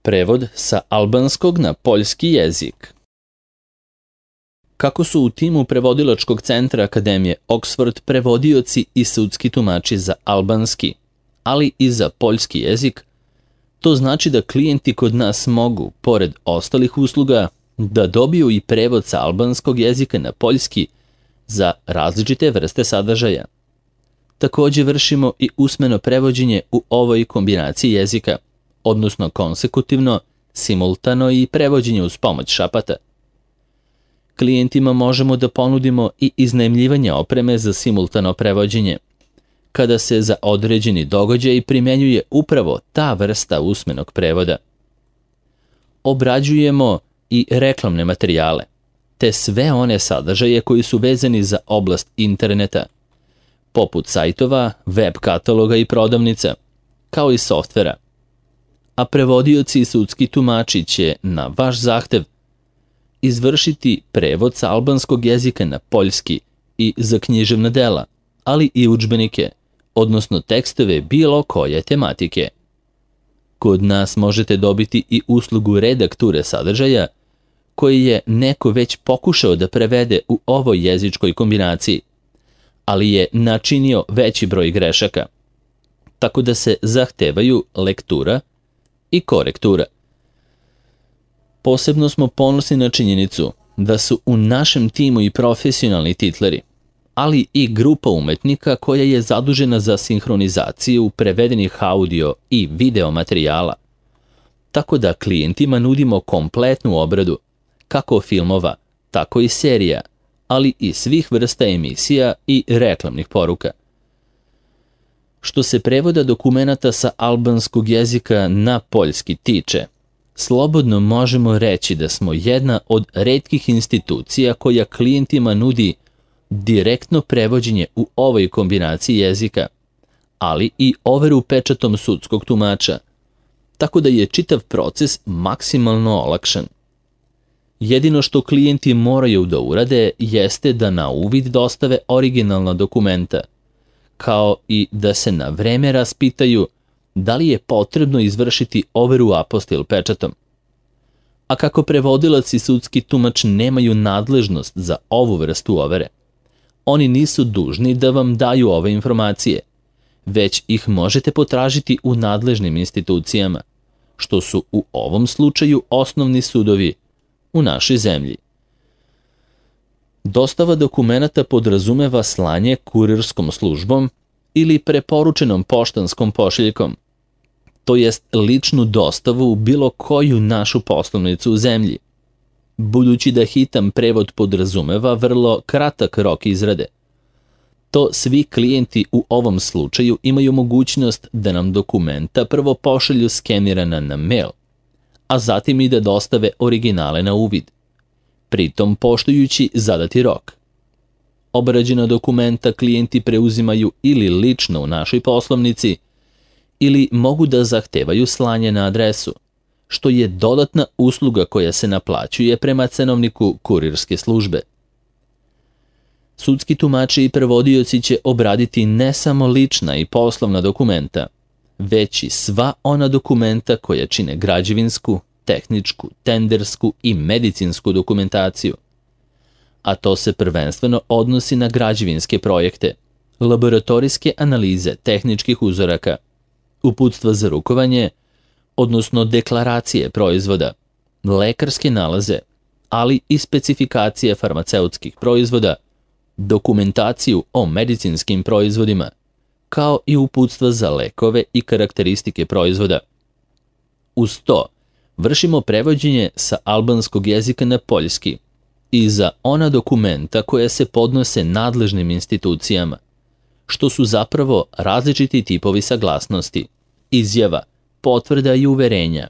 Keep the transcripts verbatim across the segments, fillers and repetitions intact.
Prevod sa albanskog na poljski jezik. Kako su u timu prevodilačkog centra Akademije Oxford prevodioci i sudski tumači za albanski, ali i za poljski jezik, to znači da klijenti kod nas mogu, pored ostalih usluga, da dobiju i prevod sa albanskog jezika na poljski za različite vrste sadržaja. Također vršimo i usmeno prevođenje u ovoj kombinaciji jezika, odnosno konsekutivno, simultano i prevođenje uz pomoć šapata. Klijentima možemo da ponudimo i iznajmljivanje opreme za simultano prevođenje, kada se za određeni događaj primenjuje upravo ta vrsta usmenog prevoda. Obrađujemo i reklamne materijale, te sve one sadržaje koji su vezani za oblast interneta, poput sajtova, web kataloga i prodavnica, kao i softvera. A prevodioci i sudski tumači će, na vaš zahtev, izvršiti prevod sa albanskog jezika na poljski i za književna dela, ali i udžbenike, odnosno tekstove bilo koje tematike. Kod nas možete dobiti i uslugu redakture sadržaja, koji je neko već pokušao da prevede u ovoj jezičkoj kombinaciji, ali je načinio veći broj grešaka, tako da se zahtevaju lektura i korektura. Posebno smo ponosni na činjenicu da su u našem timu i profesionalni titleri, ali i grupa umetnika koja je zadužena za sinhronizaciju prevedenih audio i video materijala, tako da klijentima nudimo kompletnu obradu, kako filmova, tako i serija, ali i svih vrsta emisija i reklamnih poruka. Što se prevoda dokumenata sa albanskog jezika na poljski tiče, slobodno možemo reći da smo jedna od retkih institucija koja klijentima nudi direktno prevođenje u ovoj kombinaciji jezika, ali i overu pečatom sudskog tumača, tako da je čitav proces maksimalno olakšan. Jedino što klijenti moraju da urade jeste da na uvid dostave originalna dokumenta, kao i da se na vreme raspitaju da li je potrebno izvršiti overu apostil pečatom. A kako prevodilac i sudski tumač nemaju nadležnost za ovu vrstu overe, oni nisu dužni da vam daju ove informacije, već ih možete potražiti u nadležnim institucijama, što su u ovom slučaju osnovni sudovi u našoj zemlji. Dostava dokumenata podrazumeva slanje kurirskom službom ili preporučenom poštanskom pošiljkom, to jest ličnu dostavu u bilo koju našu poslovnicu u zemlji, budući da hitan prevod podrazumeva vrlo kratak rok izrade. To svi klijenti u ovom slučaju imaju mogućnost da nam dokumenta prvo pošalju skenirana na mail, a zatim i da dostave originale na uvid, pritom poštujući zadati rok. Obrađena dokumenta klijenti preuzimaju ili lično u našoj poslovnici, ili mogu da zahtevaju slanje na adresu, što je dodatna usluga koja se naplaćuje prema cenovniku kurirske službe. Sudski tumači i prevodioci će obraditi ne samo lična i poslovna dokumenta, već i sva ona dokumenta koja čine građevinsku, tehničku, tendersku i medicinsku dokumentaciju. A to se prvenstveno odnosi na građevinske projekte, laboratorijske analize tehničkih uzoraka, uputstva za rukovanje, odnosno deklaracije proizvoda, lekarske nalaze, ali i specifikacije farmaceutskih proizvoda, dokumentaciju o medicinskim proizvodima, kao i uputstva za lekove i karakteristike proizvoda. Uz to, vršimo prevođenje sa albanskog jezika na poljski i za ona dokumenta koja se podnose nadležnim institucijama, što su zapravo različiti tipovi saglasnosti, izjava, potvrda i uverenja,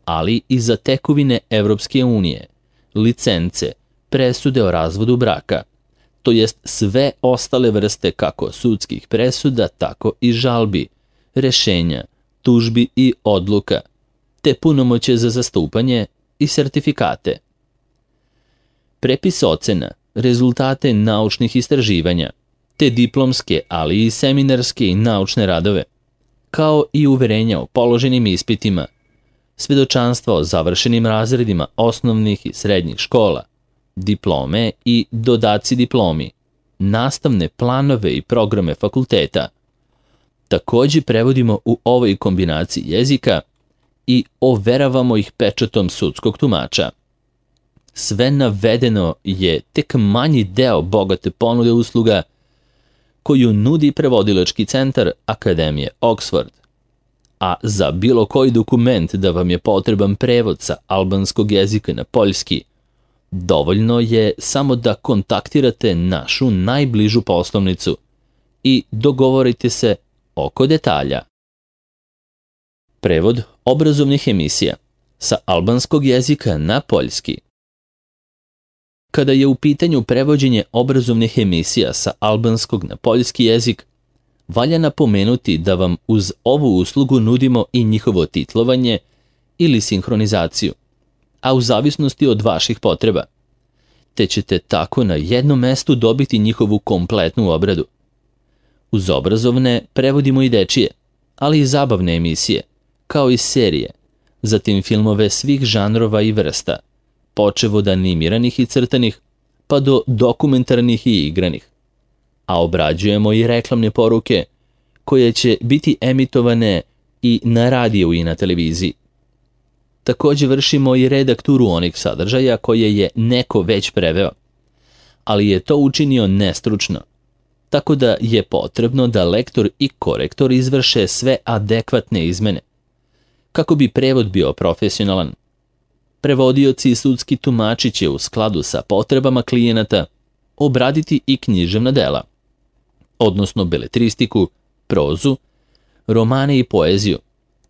ali i za tekovine Evropske unije, licence, presude o razvodu braka, to jest sve ostale vrste kako sudskih presuda, tako i žalbi, rešenja, tužbi i odluka, te punomoćje za zastupanje i sertifikate. Prepis ocena, rezultate naučnih istraživanja, te diplomske, ali i seminarske i naučne radove, kao i uverenja o položenim ispitima, svedočanstva o završenim razredima osnovnih i srednjih škola, diplome i dodaci diplomi, nastavne planove i programe fakulteta. Takođe prevodimo u ovoj kombinaciji jezika i overavamo ih pečatom sudskog tumača. Sve navedeno je tek manji deo bogate ponude usluga koju nudi prevodilački centar Akademije Oxford. A za bilo koji dokument da vam je potreban prevod sa albanskog jezika na poljski, dovoljno je samo da kontaktirate našu najbližu poslovnicu i dogovorite se oko detalja. Prevod obrazovnih emisija sa albanskog jezika na poljski. Kada je u pitanju prevođenje obrazovnih emisija sa albanskog na poljski jezik, valja napomenuti da vam uz ovu uslugu nudimo i njihovo titlovanje ili sinhronizaciju, a u zavisnosti od vaših potreba, te ćete tako na jednom mestu dobiti njihovu kompletnu obradu. Uz obrazovne prevodimo i dečije, ali i zabavne emisije, kao i serije, zatim filmove svih žanrova i vrsta, počev od animiranih i crtanih, pa do dokumentarnih i igranih. A obrađujemo i reklamne poruke, koje će biti emitovane i na radiju i na televiziji. Takođe vršimo i redakturu onih sadržaja koje je neko već preveo, ali je to učinio nestručno, tako da je potrebno da lektor i korektor izvrše sve adekvatne izmene, kako bi prevod bio profesionalan. Prevodioci i sudski tumači će u skladu sa potrebama klijenata obraditi i književna dela, odnosno beletristiku, prozu, romane i poeziju,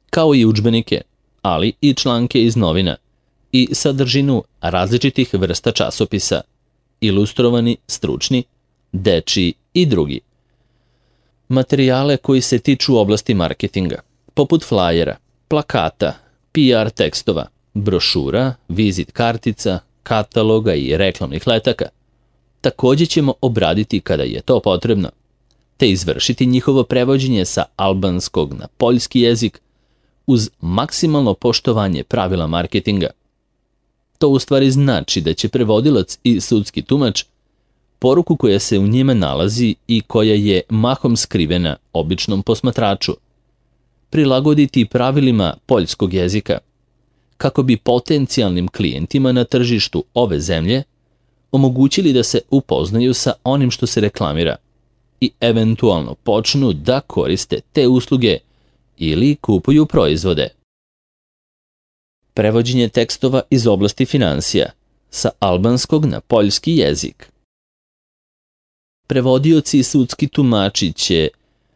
kao i udžbenike, ali i članke iz novina i sadržinu različitih vrsta časopisa, ilustrovani, stručni, dečiji i drugi. Materijale koji se tiču oblasti marketinga, poput flajera, plakata, P R tekstova, brošura, vizit kartica, kataloga i reklamnih letaka, takođe ćemo obraditi kada je to potrebno, te izvršiti njihovo prevođenje sa albanskog na poljski jezik uz maksimalno poštovanje pravila marketinga. To u stvari znači da će prevodilac i sudski tumač poruku koja se u njima nalazi i koja je mahom skrivena običnom posmatraču prilagoditi pravilima poljskog jezika, kako bi potencijalnim klijentima na tržištu ove zemlje omogućili da se upoznaju sa onim što se reklamira i eventualno počnu da koriste te usluge ili kupuju proizvode. Prevođenje tekstova iz oblasti finansija sa albanskog na poljski jezik. Prevodioci i sudski tumači će,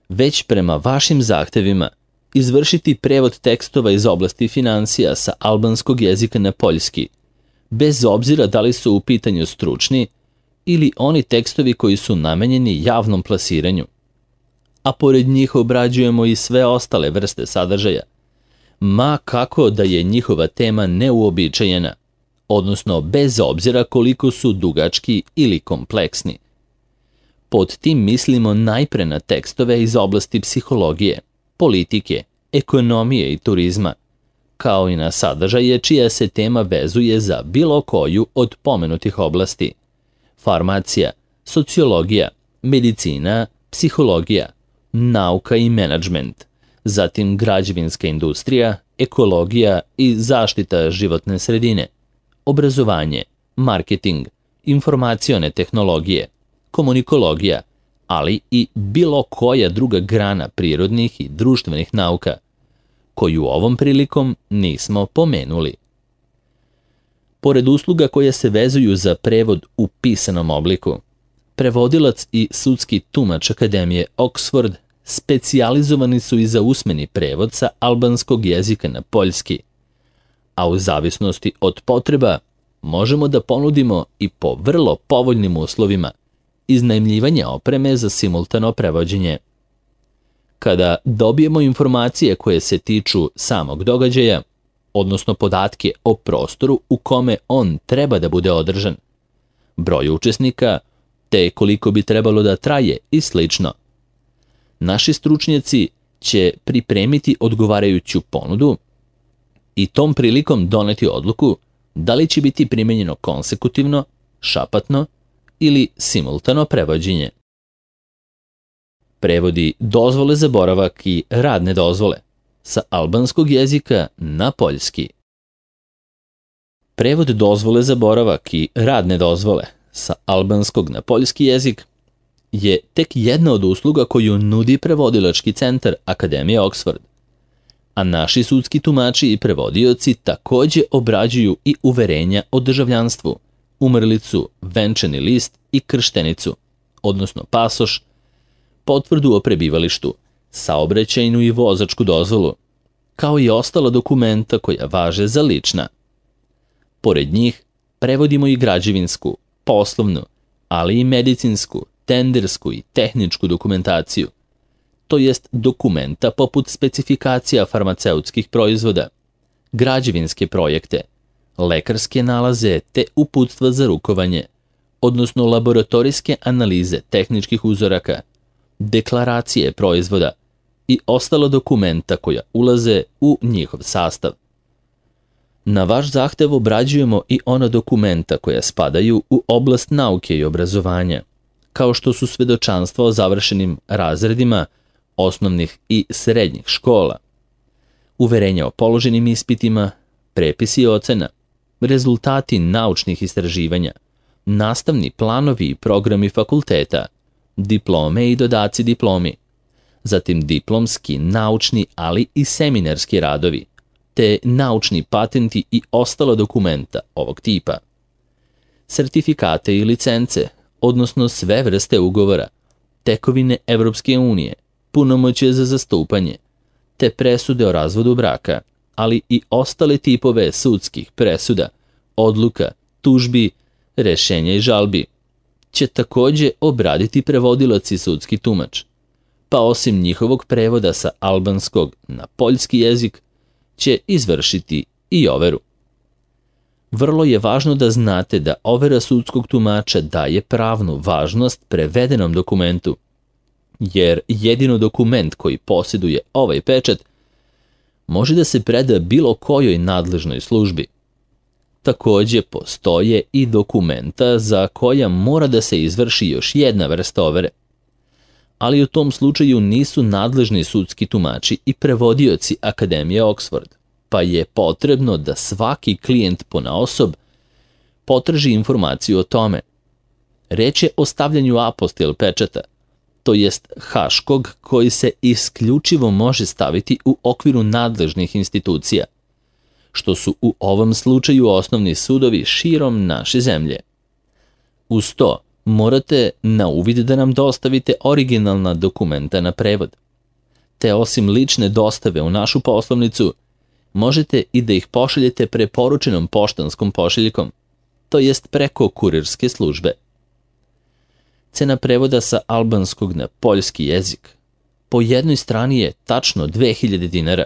već prema vašim zahtevima, izvršiti prevod tekstova iz oblasti finansija sa albanskog jezika na poljski, bez obzira da li su u pitanju stručni ili oni tekstovi koji su namenjeni javnom plasiranju. A pored njih obrađujemo i sve ostale vrste sadržaja, ma kako da je njihova tema neuobičajena, odnosno bez obzira koliko su dugački ili kompleksni. Pod tim mislimo najpre na tekstove iz oblasti psihologije, politike, ekonomije i turizma, kao i na sadržaje čija se tema vezuje za bilo koju od pomenutih oblasti: farmacija, sociologija, medicina, psihologija, nauka i menadžment, zatim građevinska industrija, ekologija i zaštita životne sredine, obrazovanje, marketing, informacione tehnologije, komunikologija, ali i bilo koja druga grana prirodnih i društvenih nauka, koju ovom prilikom nismo pomenuli. Pored usluga koje se vezuju za prevod u pisanom obliku, prevodilac i sudski tumač Akademije Oxford specijalizovani su i za usmeni prevod sa albanskog jezika na poljski, a u zavisnosti od potreba možemo da ponudimo i po vrlo povoljnim uslovima iznajmljivanje opreme za simultano prevođenje. Kada dobijemo informacije koje se tiču samog događaja, odnosno podatke o prostoru u kome on treba da bude održan, broj učesnika, te koliko bi trebalo da traje i slično, naši stručnjaci će pripremiti odgovarajuću ponudu i tom prilikom doneti odluku da li će biti primenjeno konsekutivno, šapatno ili simultano prevođenje. Prevodi dozvole za boravak i radne dozvole sa albanskog jezika na poljski. Prevod dozvole za boravak i radne dozvole sa albanskog na poljski jezik je tek jedna od usluga koju nudi prevodilački centar Akademije Oxford, a naši sudski tumači i prevodioci takođe obrađuju i uverenja o državljanstvu, umrlicu, venčani list i krštenicu, odnosno pasoš, potvrdu o prebivalištu, saobraćajnu i vozačku dozvolu, kao i ostala dokumenta koja važe za lična. Pored njih, prevodimo i građevinsku, poslovnu, ali i medicinsku, tendersku i tehničku dokumentaciju, to jest dokumenta poput specifikacija farmaceutskih proizvoda, građevinske projekte, lekarske nalaze te uputstva za rukovanje, odnosno laboratorijske analize tehničkih uzoraka, deklaracije proizvoda i ostala dokumenta koja ulaze u njihov sastav. Na vaš zahtev obrađujemo i ona dokumenta koja spadaju u oblast nauke i obrazovanja, kao što su svedočanstva o završenim razredima osnovnih i srednjih škola, uverenja o položenim ispitima, prepisi ocena, rezultati naučnih istraživanja, nastavni planovi i programi fakulteta, diplome i dodaci diplomi, zatim diplomski, naučni, ali i seminarski radovi, te naučni patenti i ostala dokumenta ovog tipa, sertifikate i licence, odnosno sve vrste ugovora, tekovine Evropske unije, punomoćje za zastupanje, te presude o razvodu braka, ali i ostale tipove sudskih presuda, odluka, tužbi, rešenja i žalbi, će takođe obraditi prevodilac i sudski tumač, pa osim njihovog prevoda sa albanskog na poljski jezik, će izvršiti i overu. Vrlo je važno da znate da overa sudskog tumača daje pravnu važnost prevedenom dokumentu, jer jedino dokument koji posjeduje ovaj pečat može da se preda bilo kojoj nadležnoj službi. Takođe postoje i dokumenta za koja mora da se izvrši još jedna vrsta overe, ali u tom slučaju nisu nadležni sudski tumači i prevodioci Akademije Oxford, pa je potrebno da svaki klijent ponaosob potraži informaciju o tome. Reč je o stavljanju apostil pečata, to jest haškog koji se isključivo može staviti u okviru nadležnih institucija, što su u ovom slučaju osnovni sudovi širom naše zemlje. Uz to, morate na uvid da nam dostavite originalna dokumenta na prevod, te osim lične dostave u našu poslovnicu, možete i da ih pošaljete preporučenom poštanskom pošiljkom, to jest preko kurirske službe. Cena prevoda sa albanskog na poljski jezik po jednoj strani je tačno dve hiljade dinara.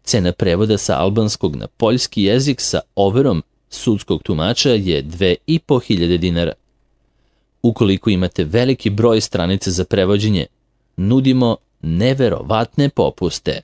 Cena prevoda sa albanskog na poljski jezik sa overom sudskog tumača je dve i po hiljade dinara. Ukoliko imate veliki broj stranica za prevođenje, nudimo neverovatne popuste.